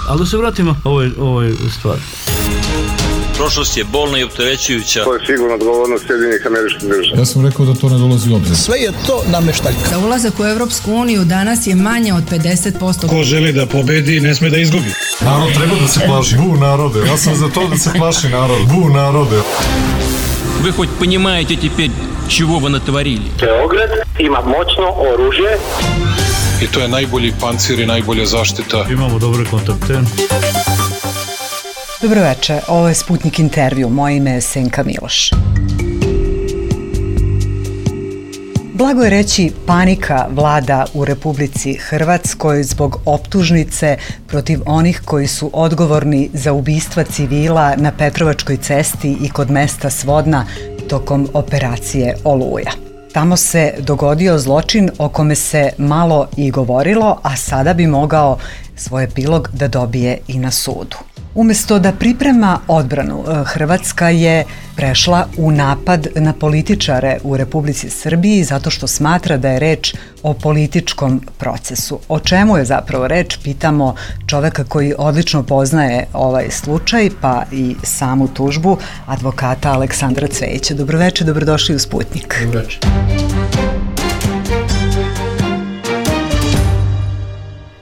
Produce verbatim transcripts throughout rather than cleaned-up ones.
Ali da se vratimo ovoj, ovoj stvari. Prošlost je bolna i opterećujuća. To je sigurno odgovornost Sjedinjenih Američkih Država. Ja sam rekao da to ne dolazi u obzir. Sve je to nameštaljka. Da ulazak u Evropsku uniju danas je manje od pedeset posto. Ko želi da pobedi, ne sme da izgubi. Narod treba da se plaši. Bu narode. Ja sam za to da se plaši narod. Bu narode. Вы хоть понимаете теперь, чего вы натворили? Beograd ima moćno oružje. I to je najbolji pancir i najbolja zaštita. Imamo dobre kontakte. Dobro večer, ovo je Sputnik intervju, moje ime je Senka Miloš. Blago je reći, panika vlada u Republici Hrvatskoj zbog optužnice protiv onih koji su odgovorni za ubistva civila na Petrovačkoj cesti i kod mesta Svodna tokom operacije Oluja. Tamo se dogodio zločin o kome se malo i govorilo, a sada bi mogao svoj epilog da dobije i na sudu. Umesto da priprema odbranu, Hrvatska je prešla u napad na političare u Republici Srbiji zato što smatra da je reč o političkom procesu. O čemu je zapravo reč, pitamo čoveka koji odlično poznaje ovaj slučaj, pa i samu tužbu, advokata Aleksandra Cvejića. Dobroveče, dobrodošli u Sputnik. Dobroveče.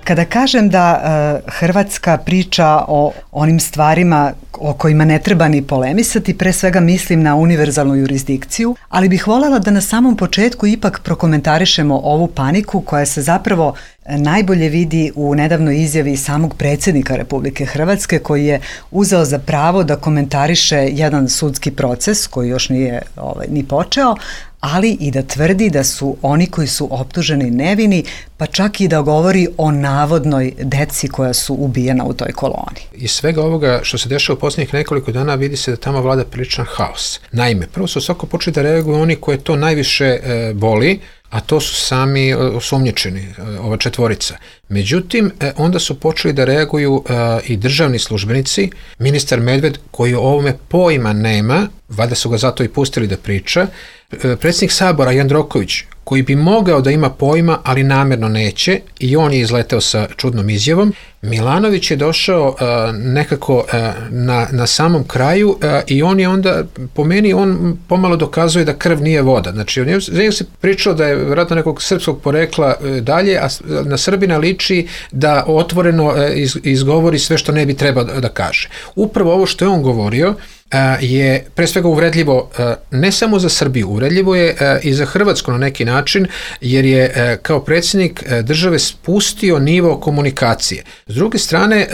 Kada kažem da uh, Hrvatska priča o onim stvarima o kojima ne treba ni polemisati, pre svega mislim na univerzalnu jurisdikciju, ali bih voljela da na samom početku ipak prokomentarišemo ovu paniku koja se zapravo najbolje vidi u nedavnoj izjavi samog predsjednika Republike Hrvatske, koji je uzeo za pravo da komentariše jedan sudski proces koji još nije ovaj, ni počeo, ali i da tvrdi da su oni koji su optuženi nevini, pa čak i da govori o navodnoj deci koja su ubijena u toj koloni. Iz svega ovoga što se dešava u posljednjih nekoliko dana vidi se da tamo vlada priličan haos. Naime, prvo su svako počeli da reaguju oni koje to najviše e, boli, a to su sami osumnjičeni, ova četvorica. Međutim, onda su počeli da reaguju uh, i državni službenici, ministar Medved, koji o ovome pojma nema, valjda su ga zato i pustili da priča, uh, predsjednik Sabora Jandroković, koji bi mogao da ima pojma, ali namjerno neće, i on je izleteo sa čudnom izjavom. Milanović je došao uh, nekako uh, na, na samom kraju uh, i on je onda, po meni, on pomalo dokazuje da krv nije voda. Znači, on je, se pričalo da je vjerojatno nekog srpskog porekla uh, dalje, a na Srbina liči da otvoreno uh, iz, izgovori sve što ne bi trebao da, da kaže. Upravo ovo što je on govorio je pre svega uvredljivo ne samo za Srbiju, uvredljivo je i za Hrvatsku na neki način, jer je kao predsjednik države spustio nivo komunikacije. S druge strane,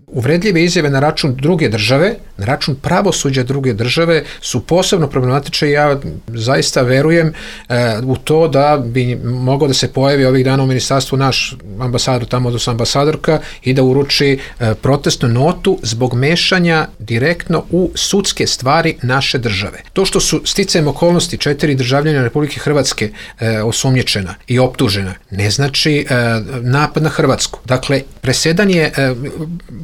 uvredljive izjave na račun druge države, na račun pravosuđa druge države su posebno problematične i ja zaista verujem u to da bi mogao da se pojavi ovih dana u ministarstvu naš ambasador, tamo odnosno ambasadorka, i da uruči protestnu notu zbog mešanja direktno u sudske stvari naše države. To što su sticajem okolnosti četiri državljana Republike Hrvatske e, osumnjičena i optužena, ne znači e, napad na Hrvatsku. Dakle, presedan je e,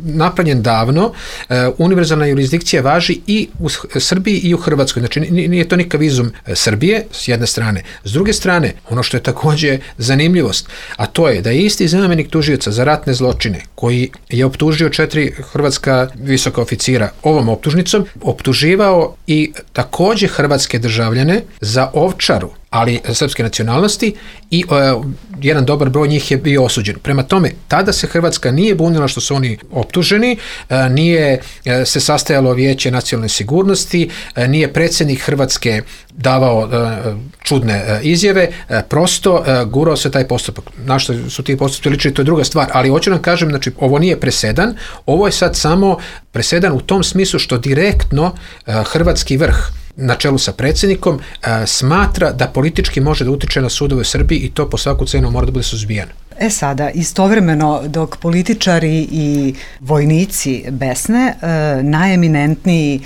napravljen davno, e, univerzalna jurisdikcija važi i u Srbiji i u Hrvatskoj. Znači, nije to nikakav izum Srbije, s jedne strane. S druge strane, ono što je također zanimljivost, a to je da je isti zamjenik tužioca za ratne zločine, koji je optužio četiri hrvatska visoka oficira ovom optužnicom, optuživao i također hrvatske državljane za ovčaru, ali srpske nacionalnosti, i uh, jedan dobar broj njih je bio osuđen. Prema tome, tada se Hrvatska nije bunila što su oni optuženi, uh, nije uh, se sastajalo Vijeće nacionalne sigurnosti, uh, nije predsjednik Hrvatske davao uh, čudne uh, izjave, uh, prosto uh, gurao se taj postupak. Na što su ti postupci ličili, to je druga stvar, ali hoću nam kažem, znači, ovo nije presedan, ovo je sad samo presedan u tom smislu što direktno uh, hrvatski vrh na čelu sa predsjednikom smatra da politički može da utiče na sudove u Srbiji i to po svaku cenu mora da bude suzbijeno. E sada, istovremeno dok političari i vojnici besne, najeminentniji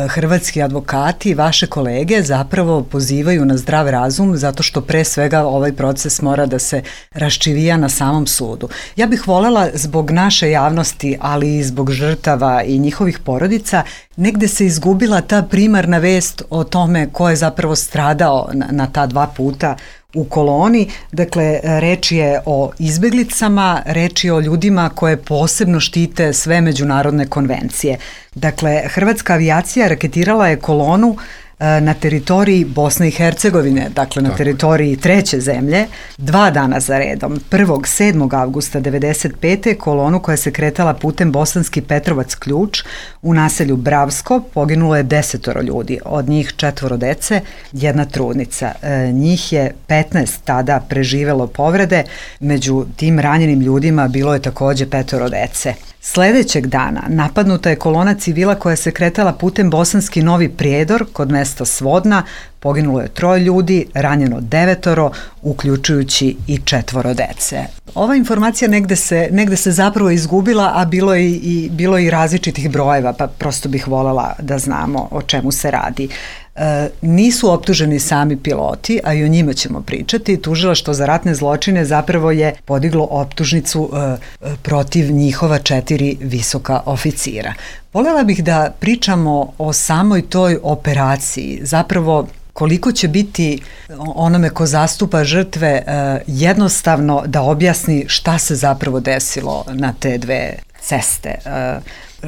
hrvatski advokati, vaše kolege, zapravo pozivaju na zdrav razum zato što pre svega ovaj proces mora da se raščivija na samom sudu. Ja bih voljela zbog naše javnosti, ali i zbog žrtava i njihovih porodica, negde se izgubila ta primarna vest o tome ko je zapravo stradao na, na ta dva puta u koloni. Dakle, reč je o izbeglicama, reč je o ljudima koje posebno štite sve međunarodne konvencije. Dakle, hrvatska avijacija raketirala je kolonu na teritoriji Bosne i Hercegovine, dakle na teritoriji treće zemlje, dva dana za redom. prvog sedmog avgusta devedeset pete kolonu koja se kretala putem Bosanski Petrovac Ključ u naselju Bravsko poginulo je desetoro ljudi, od njih četvoro dece, jedna trudnica. E, njih je petnaest tada preživelo povrede, među tim ranjenim ljudima bilo je takođe petoro dece. Sledećeg dana napadnuta je kolona civila koja se kretala putem Bosanski Novi Prijedor kod mesta Svodna, poginulo je troje ljudi, ranjeno devetoro, uključujući i četvoro dece. Ova informacija negde se, negde se zapravo izgubila, a bilo je i, bilo je i različitih brojeva, pa prosto bih voljela da znamo o čemu se radi. E, nisu optuženi sami piloti, a i o njima ćemo pričati. Tužilaštvo za ratne zločine zapravo je podiglo optužnicu e, protiv njihova četiri visoka oficira. Voljela bih da pričamo o samoj toj operaciji, zapravo koliko će biti onome ko zastupa žrtve jednostavno da objasni šta se zapravo desilo na te dve ceste.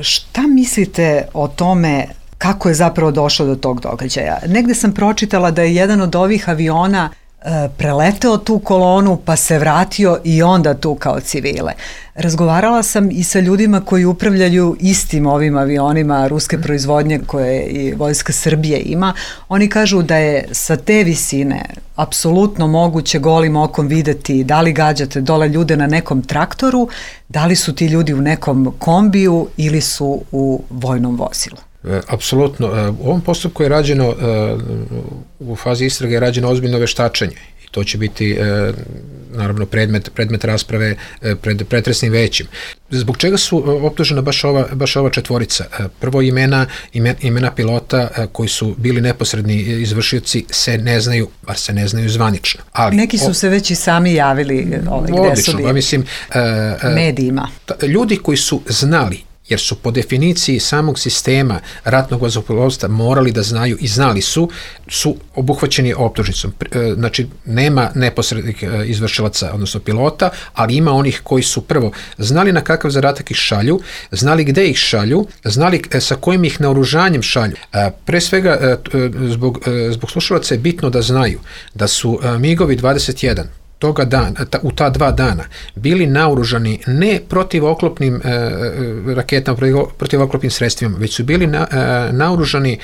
Šta mislite o tome kako je zapravo došlo do tog događaja? Negde sam pročitala da je jedan od ovih aviona preleteo tu kolonu pa se vratio i onda tukao civile. Razgovarala sam i sa ljudima koji upravljaju istim ovim avionima ruske proizvodnje koje i Vojska Srbije ima. Oni kažu da je sa te visine apsolutno moguće golim okom videti da li gađate dole ljude na nekom traktoru, da li su ti ljudi u nekom kombiju ili su u vojnom vozilu. Apsolutno. U ovom postupku je rađeno, u fazi istrage je rađeno ozbiljno veštačenje i to će biti naravno predmet, predmet rasprave pred pretresnim većim. Zbog čega su optužena baš ova, baš ova četvorica? Prvo imena, imena, imena pilota koji su bili neposredni izvršioci se ne znaju, bar se ne znaju zvanično. Ali, neki su se već i sami javili ovaj, gde odlično, su bili mislim, medijima. Ljudi koji su znali, jer su po definiciji samog sistema ratnog vazduhoplovstva morali da znaju i znali su, su obuhvaćeni optužnicom. Znači, nema neposrednih izvršilaca, odnosno pilota, ali ima onih koji su prvo znali na kakav zadatak ih šalju, znali gde ih šalju, znali sa kojim ih naoružanjem šalju. Pre svega, zbog, zbog slušalaca je bitno da znaju da su migovi dvadeset jedan toga dana, ta, u ta dva dana bili naoružani ne protivoklopnim e, raketama, protivoklopnim sredstvima, već su bili na, e, naoružani e,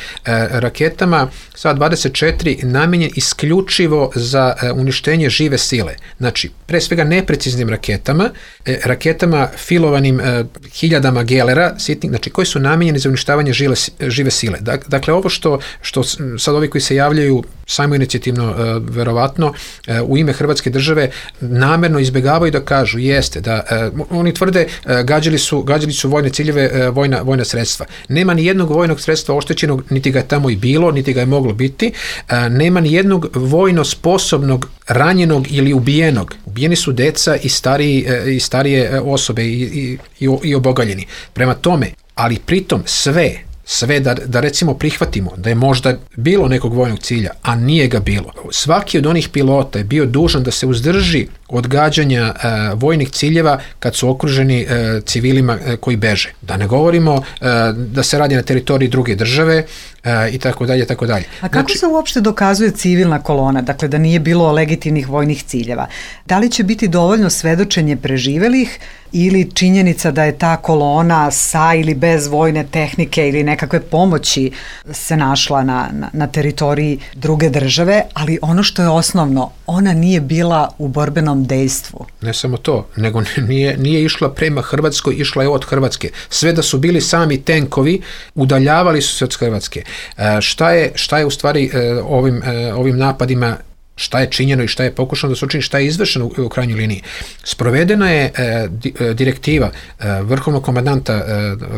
raketama sa dvadeset četiri namenjen isključivo za e, uništenje žive sile. Znači, pre svega nepreciznim raketama, e, raketama filovanim e, hiljadama gelera, sitnih, znači koji su namenjeni za uništavanje žile, žive sile. Dakle, ovo što, što sad ovi koji se javljaju samo inicijativno, e, verovatno, e, u ime Hrvatske države države namerno izbegavaju da kažu jeste da uh, oni tvrde uh, gađali su gađali su vojne ciljeve, uh, vojna vojna sredstva. Nema ni jednog vojnog sredstva oštećenog, niti ga je tamo i bilo, niti ga je moglo biti. Uh, nema ni jednog vojno sposobnog ranjenog ili ubijenog. Ubijeni su deca i stariji uh, i starije uh, osobe i i i, i obogaljeni. Prema tome, ali pritom sve sve da, da recimo prihvatimo da je možda bilo nekog vojnog cilja, a nije ga bilo. Svaki od onih pilota je bio dužan da se uzdrži od gađanja e, vojnih ciljeva kad su okruženi e, civilima e, koji beže. Da ne govorimo e, da se radi na teritoriji druge države e, i tako dalje, tako dalje. A kako znači, se uopšte dokazuje civilna kolona, dakle da nije bilo legitimnih vojnih ciljeva? Da li će biti dovoljno svedočenje preživelih ili činjenica da je ta kolona sa ili bez vojne tehnike ili nekakve pomoći se našla na, na, na teritoriji druge države, ali ono što je osnovno, ona nije bila u borbenom dejstvu. Ne samo to, nego nije, nije išla prema Hrvatskoj, išla je od Hrvatske. Sve da su bili sami tenkovi, udaljavali su se od Hrvatske. E, šta je, šta je u stvari e, ovim, e, ovim napadima, šta je činjeno i šta je pokušano da se učini, šta je izvršeno u, u krajnjoj liniji. Sprovedena je e, di, e, direktiva e, vrhovnog komandanta e,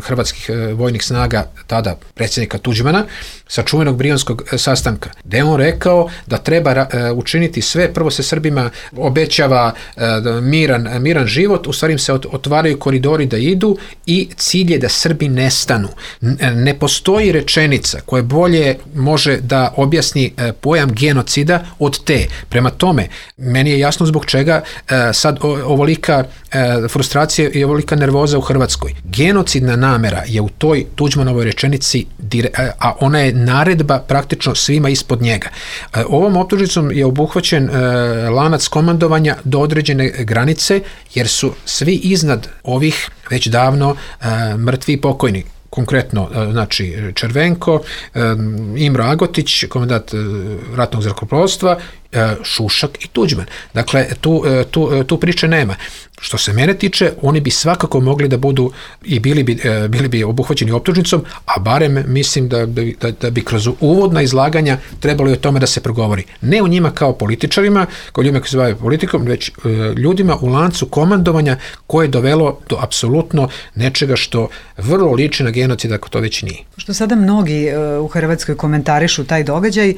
hrvatskih e, vojnih snaga, tada predsjednika Tuđmana, sa čuvenog Brionskog e, sastanka, gde je on rekao da treba e, učiniti sve, prvo se Srbima obećava e, miran, miran život, u stvari im se ot, otvaraju koridori da idu i cilj je da Srbi nestanu. N, ne postoji rečenica koja bolje može da objasni e, pojam genocida od te te. Prema tome, meni je jasno zbog čega e, sad o, ovolika e, frustracija i ovolika nervoza u Hrvatskoj. Genocidna namera je u toj Tuđmanovoj rečenici, dire, a ona je naredba praktično svima ispod njega. E, ovom optužnicom je obuhvaćen e, lanac komandovanja do određene granice, jer su svi iznad ovih već davno e, mrtvi i pokojni. Konkretno, znači, Červenko, Imro Agotić, komandant ratnog zrakoplovstva, Šušak i Tuđman. Dakle, tu, tu, tu priče nema. Što se mene tiče, oni bi svakako mogli da budu i bili bi, bili bi obuhvaćeni optužnicom, a barem mislim da bi, da, da bi kroz uvodna izlaganja trebalo i o tome da se progovori. Ne o njima kao političarima, kao ljudima koji se bave politikom, već ljudima u lancu komandovanja koje je dovelo do apsolutno nečega što vrlo liči na genocid, ako to već nije. Što sada mnogi u Hrvatskoj komentarišu taj događaj,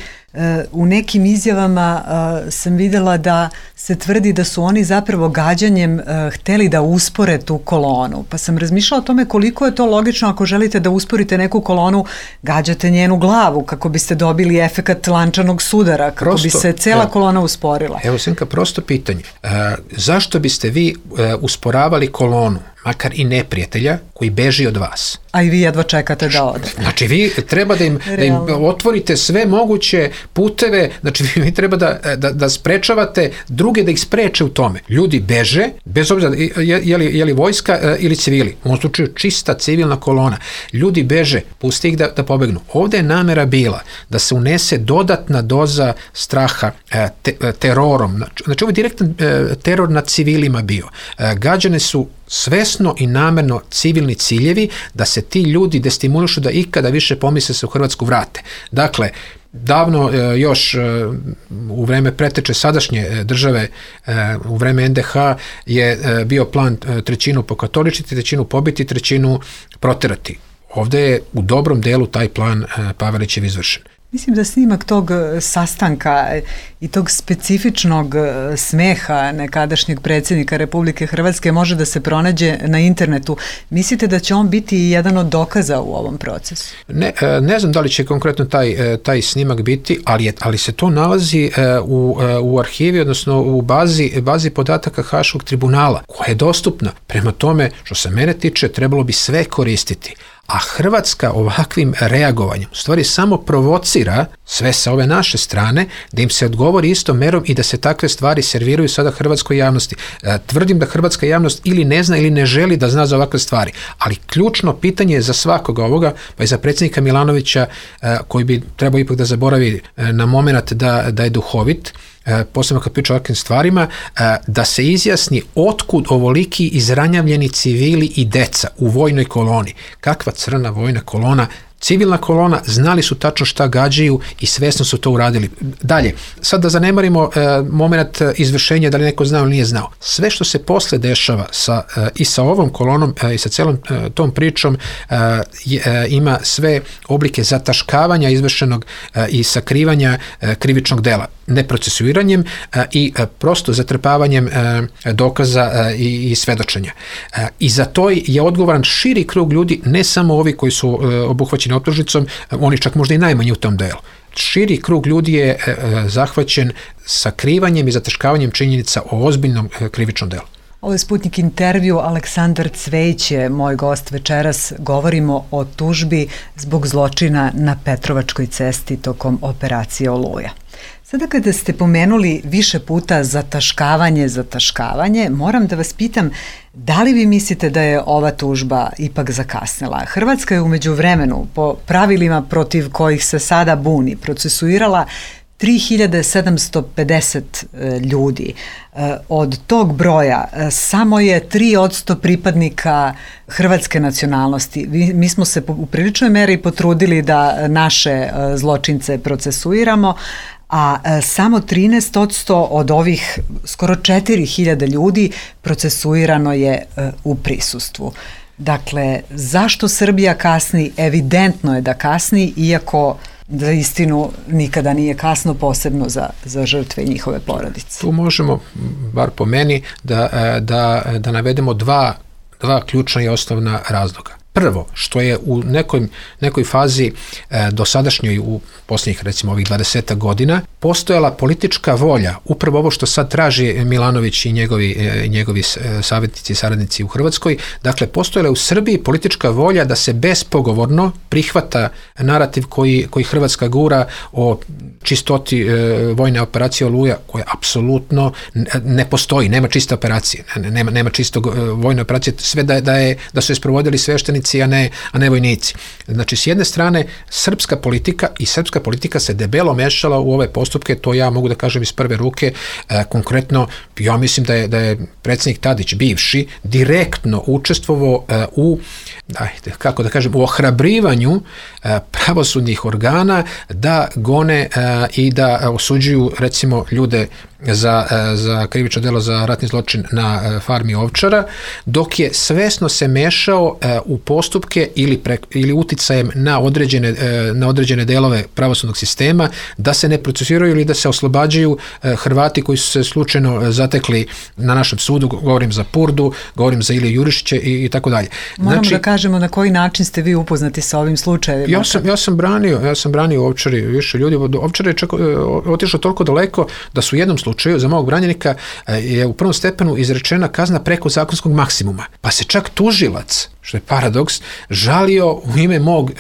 u nekim izjavama sam videla da se tvrdi da su oni zapravo gađanjem hteli da uspore tu kolonu. Pa sam razmišljala o tome koliko je to logično ako želite da usporite neku kolonu, gađate njenu glavu kako biste dobili efekat lančanog sudara, kako prosto, bi se cela evo, kolona usporila. Evo, Senka, prosto pitanje. E, zašto biste vi e, usporavali kolonu, makar i neprijatelja, koji beži od vas? A i vi jedva čekate da ode. Znači, vi treba da im, da im otvorite sve moguće puteve, znači vi treba da, da, da sprečavate druge da ih spreče u tome. Ljudi beže, bez obzira je, je, li, je li vojska ili civili, u ovom slučaju čista civilna kolona. Ljudi beže, pusti ih da, da pobegnu. Ovde je namera bila da se unese dodatna doza straha te, terorom. Znači, ovo je direktan teror nad civilima bio. Gađane su svesno i namerno civilni ciljevi da se ti ljudi destimulišu da ikada više pomisle se u Hrvatsku vrate. Dakle, davno još u vreme preteče sadašnje države, u vreme en de ha je bio plan trećinu pokatoličiti, trećinu pobiti, trećinu proterati. Ovde je u dobrom delu taj plan Pavelićev izvršen. Mislim da snimak tog sastanka i tog specifičnog smeha nekadašnjeg predsjednika Republike Hrvatske može da se pronađe na internetu. Mislite da će on biti jedan od dokaza u ovom procesu? Ne, ne znam da li će konkretno taj, taj snimak biti, ali, je, ali se to nalazi u, u arhivi, odnosno u bazi, bazi podataka Haškog tribunala, koja je dostupna. Prema tome, što se mene tiče, trebalo bi sve koristiti. A Hrvatska ovakvim reagovanjem u stvari samo provocira sve sa ove naše strane da im se odgovori istom merom i da se takve stvari serviraju sada hrvatskoj javnosti. E, tvrdim da hrvatska javnost ili ne zna ili ne želi da zna za ovakve stvari, ali ključno pitanje je za svakoga ovoga, pa i za predsjednika Milanovića, e, koji bi trebao ipak da zaboravi e, na moment da, da je duhovit, posebno kad priča o ovakvim stvarima, da se izjasni otkud ovoliki izranjavljeni civili i deca u vojnoj koloni. Kakva crna vojna kolona, civilna kolona, znali su tačno šta gađaju i svesno su to uradili. Dalje, sad da zanemarimo e, moment izvršenja, da li neko znao ili nije znao. Sve što se posle dešava sa, e, i sa ovom kolonom e, i sa celom e, tom pričom e, e, ima sve oblike zataškavanja izvršenog e, i sakrivanja e, krivičnog dela. Neprocesuiranjem e, i e, prosto zatrpavanjem e, dokaza e, i, i svedočenja. E, I za to je odgovoran širi krug ljudi, ne samo ovi koji su e, obuhvaćeni optužnicom, oni čak možda i najmanji u tom delu. Širi krug ljudi je e, zahvaćen sakrivanjem i zataškavanjem činjenica o ozbiljnom e, krivičnom delu. Ovo je Sputnik intervju, Aleksandar Cvejić je moj gost večeras. Govorimo o tužbi zbog zločina na Petrovačkoj cesti tokom operacije Oluja. Sada kada ste pomenuli više puta zataškavanje, zataškavanje, moram da vas pitam, da li vi mislite da je ova tužba ipak zakasnila? Hrvatska je u međuvremenu, po pravilima protiv kojih se sada buni, procesuirala tri hiljade sedamsto pedeset ljudi. Od tog broja samo je tri posto pripadnika hrvatske nacionalnosti. Mi smo se u priličnoj meri potrudili da naše zločince procesuiramo, a samo trinaest posto od ovih skoro četiri hiljade ljudi procesuirano je u prisustvu. Dakle, zašto Srbija kasni? Evidentno je da kasni, iako za istinu nikada nije kasno, posebno za, za žrtve i njihove porodice. Tu možemo, bar po meni, da, da, da navedemo dva, dva ključna i osnovna razloga. Prvo, što je u nekoj, nekoj fazi e, dosadašnjoj, u posljednjih recimo ovih dvadeset godina, postojala politička volja, upravo ovo što sad traži Milanović i njegovi, njegovi savjetnici i saradnici u Hrvatskoj, dakle postojala je u Srbiji politička volja da se bespogovorno prihvata narativ koji, koji Hrvatska gura o čistoti e, vojne operacije Oluja, koja apsolutno ne postoji, nema čiste operacije, nema, nema čistog e, vojne operacije, sve da, da, je, da su je sprovodili sveštenici, a ne, a ne vojnici. Znači, s jedne strane, srpska politika i srpska politika se debelo mešala u ove postupke, to ja mogu da kažem iz prve ruke, e, konkretno, ja mislim da je, da je predsjednik Tadić, bivši, direktno učestvovao e, u, ajde, kako da kažem, u ohrabrivanju e, pravosudnih organa da gone e, i da osuđuju recimo ljude za, za krivično delo za ratni zločin na farmi Ovčara, dok je svesno se mešao u postupke ili, pre, ili uticajem na određene, na određene delove pravosudnog sistema da se ne procesuiraju ili da se oslobađaju Hrvati koji su se slučajno zatekli na našem sudu, govorim za Purdu, govorim za Iliju Jurišića i, i tako dalje. Moramo znači, da kažemo na koji način ste vi upoznati sa ovim slučajevima. Ja sam, ja sam branio, ja sam branio Ovčari više ljudi, Ovčar je čak otišao toliko daleko da su u jednom slučaju za mog branjenika je u prvom stepenu izrečena kazna preko zakonskog maksimuma. Pa se čak tužilac, što je paradoks, žalio u ime mog,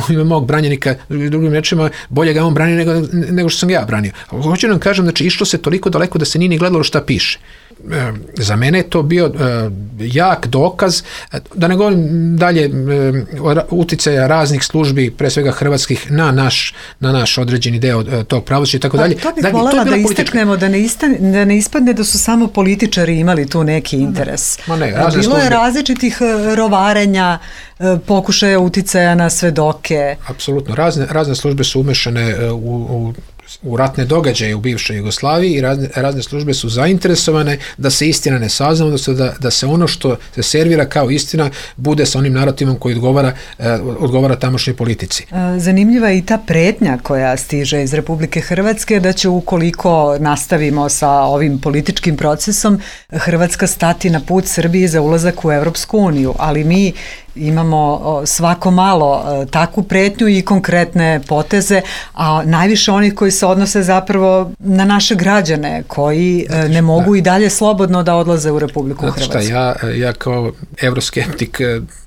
u ime mog branjenika, drugim rečima, bolje ga on branio nego, nego što sam ja branio. Hoću nam kažem, znači išlo se toliko daleko da se nije ni gledalo šta piše. Za mene je to bio jak dokaz, da ne govorim dalje uticaja raznih službi, pre svega hrvatskih, na naš, na naš određeni deo tog pravosuđa i tako dalje. To bih voljela da istaknemo, da ne, istane, da ne ispadne da su samo političari imali tu neki interes. Ma ne, Bilo službe. je različitih rovarenja, pokušaja uticaja na svedoke. Apsolutno, razne, razne službe su umešane u, u u ratne događaje u bivšoj Jugoslaviji i razne, razne službe su zainteresovane da se istina ne sazna, odnosno da, da se ono što se servira kao istina bude sa onim narativom koji odgovara, eh, odgovara tamošnjoj politici. Zanimljiva je i ta pretnja koja stiže iz Republike Hrvatske da će ukoliko nastavimo sa ovim političkim procesom Hrvatska stati na put Srbiji za ulazak u Evropsku uniju, ali mi imamo svako malo takvu pretnju i konkretne poteze, a najviše onih koji se odnose zapravo na naše građane koji ne mogu i dalje slobodno da odlaze u Republiku Hrvatsku. Šta, ja, ja kao evroskeptik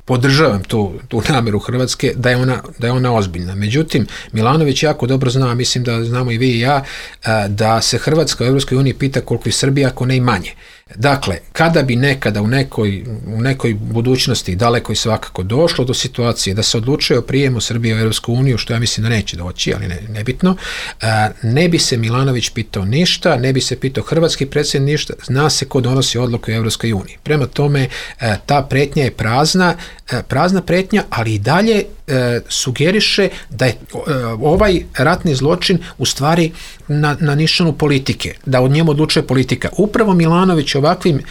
podržavam tu, tu nameru Hrvatske da je, ona, da je ona ozbiljna. Međutim, Milanović jako dobro zna, mislim da znamo i vi i ja, da se Hrvatska u Evropskoj uniji pita koliko je Srbija, ako ne i manje. Dakle, kada bi nekada u nekoj, u nekoj budućnosti daleko i svakako došlo do situacije da se odlučuje o prijemu Srbije u Evropsku uniju, što ja mislim da neće doći, ali ne, nebitno, ne bi se Milanović pitao ništa, ne bi se pitao hrvatski predsjednik ništa, zna se ko donosi odluku u Evropskoj uniji. Prema tome, ta pretnja je prazna, prazna pretnja, ali i dalje sugeriše da je ovaj ratni zločin u stvari na, na nišanu politike, da od njemu odlučuje politika. Upravo Milanović ovakvim,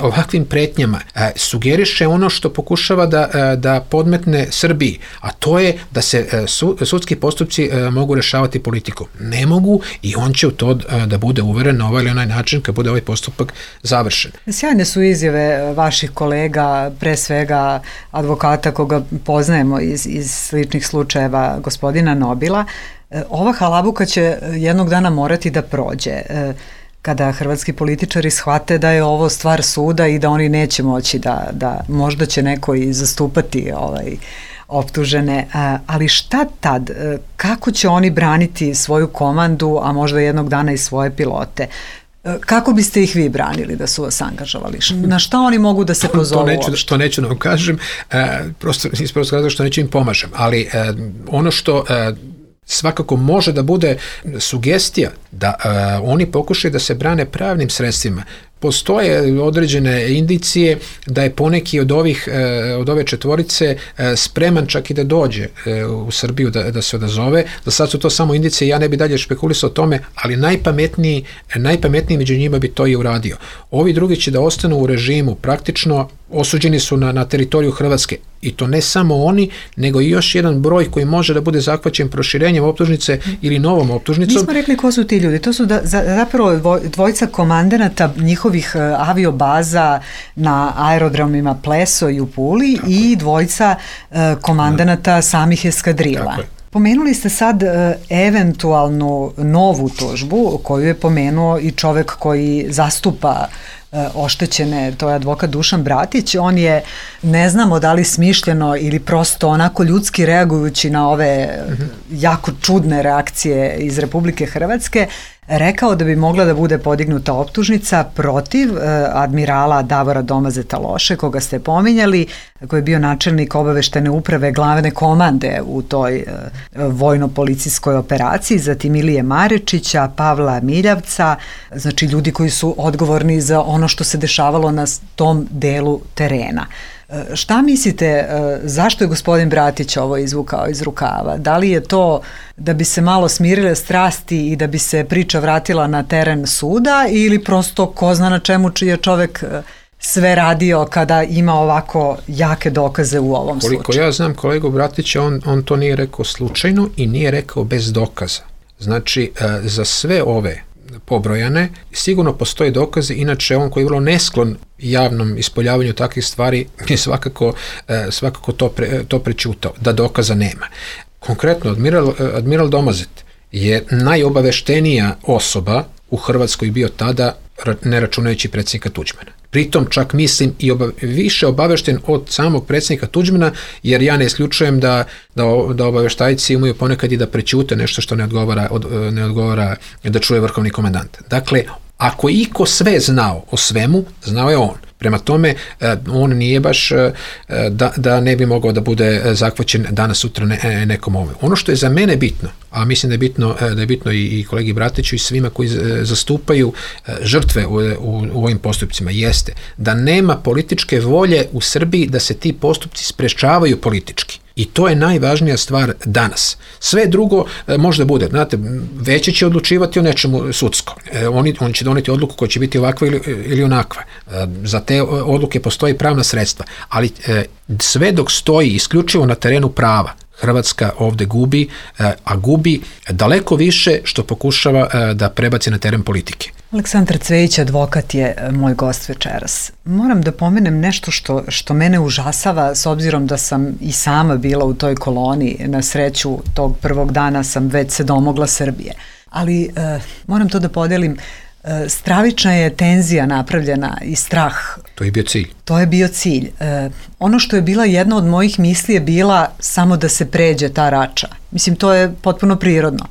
ovakvim pretnjama sugeriše ono što pokušava da, da podmetne Srbiji, a to je da se sudski postupci mogu rešavati politikom. Ne mogu i on će u to da bude uveren na ovaj ili onaj način kad bude ovaj postupak završen. Sjajne su izjave vaših kolega, pre svega advokata koga poznajemo iz, iz sličnih slučajeva, gospodina Nobila. Ova halabuka će jednog dana morati da prođe kada hrvatski političari shvate da je ovo stvar suda i da oni neće moći da, da možda će neko i zastupati ovaj, optužene, ali šta tad, kako će oni braniti svoju komandu, a možda jednog dana i svoje pilote? Kako biste ih vi branili da su vas angažovali? Na šta oni mogu da se pozovu? To neću, što neću da vam kažem, prosto iz prostog razloga što neću im pomažem, ali ono što svakako može da bude sugestija da oni pokušaju da se brane pravnim sredstvima. Postoje određene indicije da je poneki od ovih, od ove četvorice spreman čak i da dođe u Srbiju da, da se odazove. Za sad su to samo indicije, ja ne bi dalje špekulisao o tome, ali najpametniji, najpametniji među njima bi to i uradio. Ovi drugi će da ostanu u režimu, praktično osuđeni su na, na teritoriju Hrvatske. I to ne samo oni, nego i još jedan broj koji može da bude zahvaćen proširenjem optužnice ili novom optužnicom. Nismo rekli ko su ti ljudi, to su da, za, zapravo dvojica komandanata njihovih aviobaza na aerodromima Pleso i u Puli, tako i dvojica uh, komandanata samih eskadrila. Tako je. Pomenuli ste sad e, eventualnu novu tužbu koju je pomenuo i čovek koji zastupa e, oštećene, to je advokat Dušan Bratić. On je, ne znamo da li smišljeno ili prosto onako ljudski reagujući na ove mm-hmm. jako čudne reakcije iz Republike Hrvatske, rekao da bi mogla da bude podignuta optužnica protiv e, admirala Davora Domazeta Loše, koga ste pominjali, koji je bio načelnik obaveštene uprave glavne komande u toj e, vojno-policijskoj operaciji, zatim Ilije Marečića, Pavla Miljavca, znači ljudi koji su odgovorni za ono što se dešavalo na tom delu terena. Šta mislite, zašto je gospodin Bratić ovo izvukao iz rukava? Da li je to da bi se malo smirile strasti i da bi se priča vratila na teren suda ili prosto ko zna na čemu je čovek sve radio kada ima ovako jake dokaze u ovom slučaju? Koliko ja znam kolegu Bratića, on, on to nije rekao slučajno i nije rekao bez dokaza. Znači, za sve ove pobrojane, sigurno postoje dokazi, inače on koji je vrlo nesklon javnom ispoljavanju takvih stvari je svakako, svakako to, pre, to prećutao, da dokaza nema. Konkretno, admiral, admiral Domazet je najobaveštenija osoba u Hrvatskoj bio tada, ne računajući predsjednika Tuđmana. Pritom čak mislim i oba, više obavešten od samog predsjednika Tuđmana, jer ja ne isključujem da, da, da obaveštajci imaju ponekad i da prećute nešto što ne odgovara, od, ne odgovara da čuje vrhovni komandant. Dakle, ako iko sve znao o svemu, znao je on. Prema tome, on nije baš da, da ne bi mogao da bude zakvaćen danas sutra ne, nekom ovome. Ono što je za mene bitno, a mislim da je bitno, da je bitno i, i kolegi Bratiću i svima koji zastupaju žrtve u, u, u ovim postupcima, jeste da nema političke volje u Srbiji da se ti postupci sprečavaju politički. I to je najvažnija stvar danas. Sve drugo e, možda bude. Znate, veće će odlučivati o nečemu sudsko. E, oni, on će doneti odluku koja će biti ovakva ili, ili onakva. E, za te odluke postoji pravna sredstva. Ali e, sve dok stoji isključivo na terenu prava, Hrvatska ovde gubi, e, a gubi daleko više što pokušava e, da prebaci na teren politike. Aleksandar Cvejić, advokat, je moj gost večeras. Moram da pomenem nešto što, što mene užasava, s obzirom da sam i sama bila u toj koloni. Na sreću, tog prvog dana sam već se domogla Srbije. Ali e, moram to da podelim, e, stravična je tenzija napravljena i strah. To je bio cilj. To je bio cilj. E, ono što je bila jedna od mojih misli je bila samo da se pređe ta rača. Mislim, to je potpuno prirodno.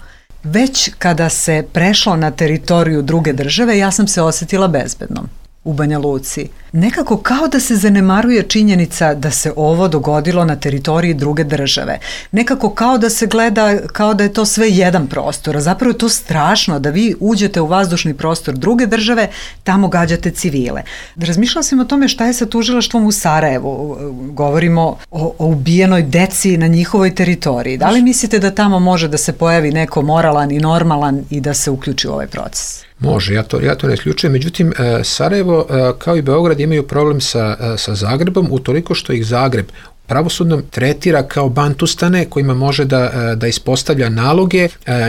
Već kada se prešlo na teritoriju druge države, ja sam se osjetila bezbednom u Banja Luci. Nekako kao da se zanemaruje činjenica da se ovo dogodilo na teritoriji druge države. Nekako kao da se gleda kao da je to sve jedan prostor, a zapravo je to strašno da vi uđete u vazdušni prostor druge države, tamo gađate civile. Razmišljala sam o tome šta je sa tužilaštvom u Sarajevu. Govorimo o, o ubijenoj deci na njihovoj teritoriji. Da li mislite da tamo može da se pojavi neko moralan i normalan i da se uključi u ovaj proces? Može, ja to, ja to ne isključujem. Međutim, Sarajevo kao i Beograd imaju problem sa, sa Zagrebom utoliko što ih Zagreb pravosudnom tretira kao bantustane kojima može da, da ispostavlja naloge,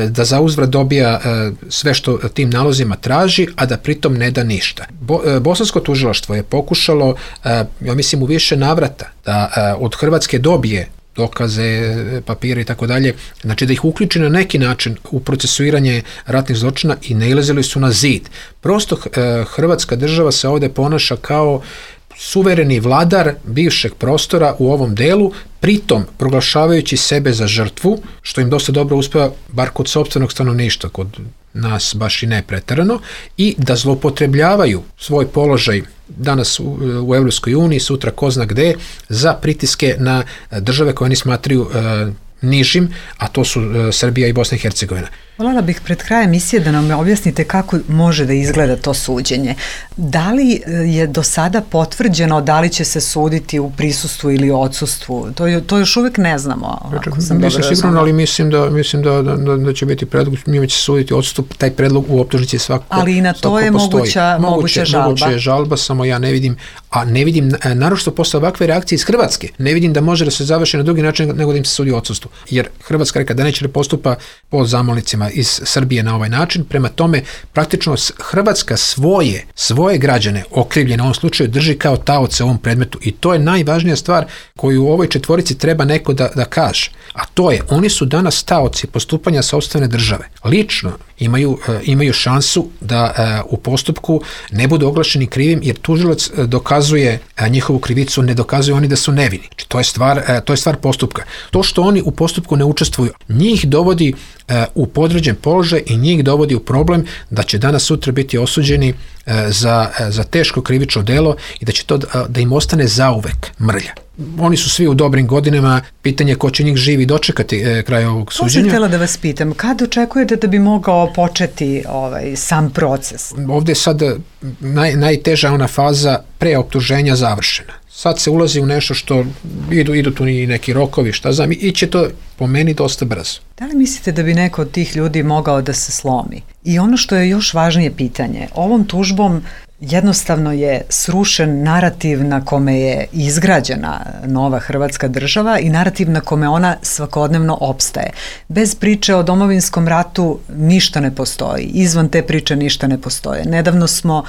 da zauzvrat dobija sve što tim nalozima traži, a da pritom ne da ništa. Bo, bosansko tužilaštvo je pokušalo, ja mislim u više navrata, da od Hrvatske dobije dokaze, papire i tako dalje, znači da ih uključi na neki način u procesuiranje ratnih zločina i nailazili su na zid. Prosto Hrvatska država se ovde ponaša kao suvereni vladar bivšeg prostora u ovom delu, pritom proglašavajući sebe za žrtvu, što im dosta dobro uspeva, bar kod sopstvenog stanovništva, kod nas baš i ne preterano, i da zloupotrebljavaju svoj položaj danas u, u Evropskoj uniji, sutra ko zna gde, za pritiske na države koje oni smatraju e, nižim, a to su e, Srbija i Bosna i Hercegovina. Voljela bih pred krajem emisije da nam objasnite kako može da izgleda to suđenje. Da li je do sada potvrđeno da li će se suditi u prisustvu ili odsustvu? To, to još uvijek ne znamo. Ako sam Nisam sigurno, ali mislim da, mislim da, da, da će biti predlog, njima će se suditi odsustvo, taj predlog u optužnici je svakako ali i na to je moguća, moguća žalba. Moguća je žalba, samo ja ne vidim, a ne vidim, naročito posle ovakve reakcije iz Hrvatske, ne vidim da može da se završi na drugi način nego da im se sudi odsustvo. Jer Hrvatska reka da neće da postupa po zamolnicima iz Srbije na ovaj način. Prema tome, praktično Hrvatska svoje, svoje građane okrivljene u ovom slučaju drži kao taoce u ovom predmetu i to je najvažnija stvar koju u ovoj četvorici treba neko da, da kaže. A to je, oni su danas taoci postupanja sopstvene države. Lično imaju, imaju šansu da u postupku ne budu oglašeni krivim jer tužilac dokazuje njihovu krivicu, ne dokazuju oni da su nevini. Znači, to je stvar, to je stvar postupka. To što oni u postupku ne učestvuju, njih dovodi u podređen položaj i njih dovodi u problem da će danas sutra biti osuđeni za, za teško krivično delo i da će to da im ostane zauvek mrlja. Oni su svi u dobrim godinama, pitanje ko će njih živi dočekati e, kraj ovog suđenja. To sam htjela da vas pitam, kad očekujete da bi mogao početi ovaj, sam proces? Ovdje je sad naj, najteža ona faza preoptuženja završena. Sad se ulazi u nešto što idu, idu tu i neki rokovi, šta znam, i će to po meni dosta brzo. Da li mislite da bi neko od tih ljudi mogao da se slomi? I ono što je još važnije pitanje, ovom tužbom jednostavno je srušen narativ na kome je izgrađena nova Hrvatska država i narativ na kome ona svakodnevno opstaje. Bez priče o domovinskom ratu ništa ne postoji, izvan te priče ništa ne postoje. Nedavno smo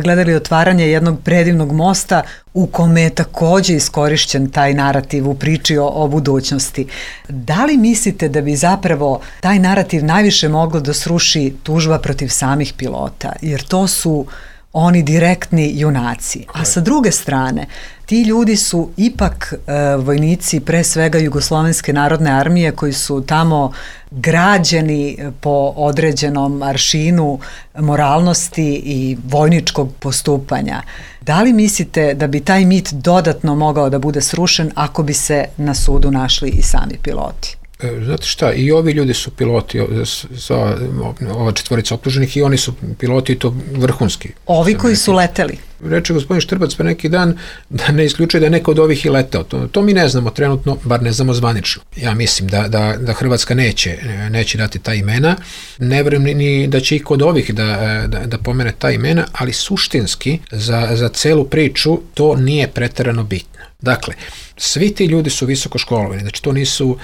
gledali otvaranje jednog predivnog mosta u kome je također iskorišćen taj narativ u priči o, o budućnosti. Da li mislite da bi zapravo taj narativ najviše moglo da sruši tužba protiv samih pilota? Jer to su oni direktni junaci. A sa druge strane, ti ljudi su ipak e, vojnici pre svega Jugoslovenske narodne armije koji su tamo građeni po određenom aršinu moralnosti i vojničkog postupanja. Da li mislite da bi taj mit dodatno mogao da bude srušen ako bi se na sudu našli i sami piloti? Znate šta, i ovi ljudi su piloti, za ova četvorica optuženih, i oni su piloti i to vrhunski. Ovi koji su leteli? Reče gospodin Štrbac pre neki dan da ne isključuje da je neko od ovih i leteo. To, to mi ne znamo trenutno, bar ne znamo zvanično. Ja mislim da, da, da Hrvatska neće, neće dati ta imena. Ne verujem ni, ni da će i kod ovih da, da, da pomene ta imena, ali suštinski za, za celu priču to nije preterano bitno. Dakle, svi ti ljudi su visoko školovani, znači to nisu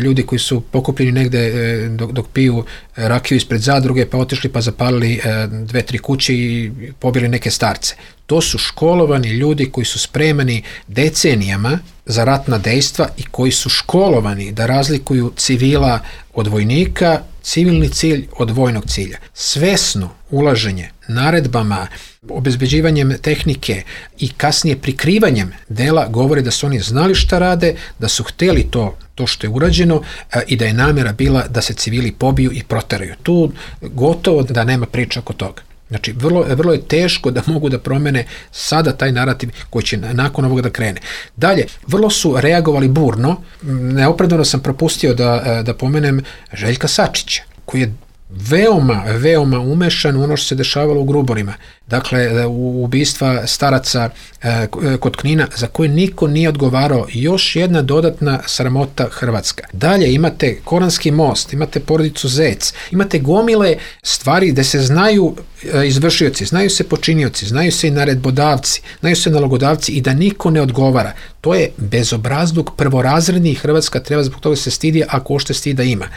ljudi koji su pokupljeni negde dok, dok piju rakiju ispred zadruge, pa otišli pa zapalili dve, tri kuće i pobili neke starce. To su školovani ljudi koji su spremani decenijama za ratna dejstva i koji su školovani da razlikuju civila od vojnika, civilni cilj od vojnog cilja. Svesno ulaženje naredbama, obezbeđivanjem tehnike i kasnije prikrivanjem dela govore da su oni znali šta rade, da su hteli to, to što je urađeno a, i da je namjera bila da se civili pobiju i proteraju. Tu gotovo da nema priča oko toga. Znači, vrlo, vrlo je teško da mogu da promene sada taj narativ koji će nakon ovoga da krene. Dalje, vrlo su reagovali burno, neopravdano sam propustio da, da pomenem Željka Sačića, koji je veoma, veoma umešan u ono što se dešavalo u Gruborima. Dakle, u ubistva staraca e, kod Knina, za koje niko nije odgovarao. Još jedna dodatna sramota Hrvatska. Dalje imate Koranski most, imate porodicu Zec, imate gomile stvari gde se znaju e, izvršioci, znaju se počinioci, znaju se i naredbodavci, znaju se nalogodavci i da niko ne odgovara. To je bezobrazluk prvorazredni i Hrvatska treba zbog toga se stidi ako ošte stida ima.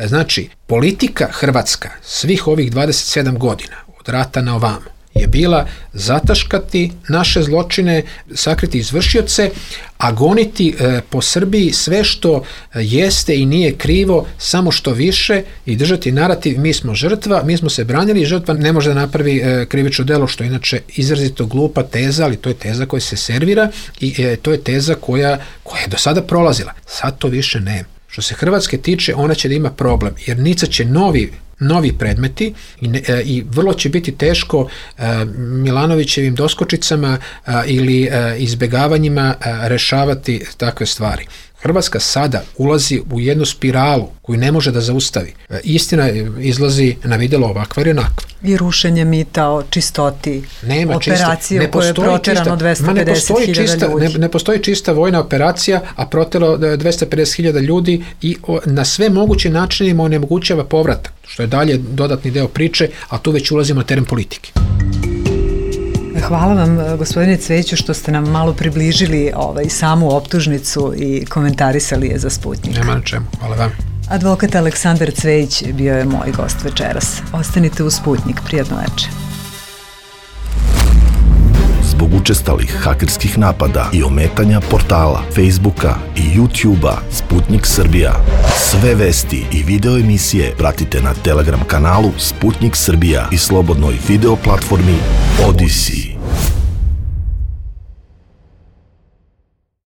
Znači, politika Hrvatska svih ovih dvadeset sedam godina, od rata na ovamo, je bila zataškati naše zločine, sakriti izvršioce, a goniti e, po Srbiji sve što jeste i nije krivo, samo što više i držati narativ mi smo žrtva, mi smo se branili i žrtva ne može da napravi e, krivično delo, što je inače izrazito glupa teza, ali to je teza koja se servira i e, to je teza koja, koja je do sada prolazila. Sad to više nema. Što se Hrvatske tiče, ona će da ima problem, jer nicaće novi novi predmeti i, ne, e, i vrlo će biti teško e, Milanovićevim doskočicama e, ili e, izbegavanjima e, rešavati takve stvari. Hrvatska sada ulazi u jednu spiralu koju ne može da zaustavi. E, istina izlazi na vidjelo ovakva ili onakva. I rušenje mita o čistoti, nema operacije čista, u kojoj je proterano dvesta pedeset hiljada ljudi. Ne, ne postoji čista vojna operacija, a protero dvesta pedeset hiljada ljudi i o, na sve moguće načinima onemogućava povratak, što je dalje dodatni deo priče, a tu već ulazimo na teren politike. Hvala vam, gospodine Cveću, što ste nam malo približili ovaj, samu optužnicu i komentarisali je za Sputnik. Nema na čemu, hvala vam. Advokat Aleksandar Cvejić bio je moj gost večeras. Ostanite u Sputnik, prijatno večer. Zbog učestalih hakerskih napada i ometanja portala, Facebooka i YouTubea Sputnik Srbija. Sve vesti i video emisije pratite na Telegram kanalu Sputnik Srbija i slobodnoj video platformi Odyssey.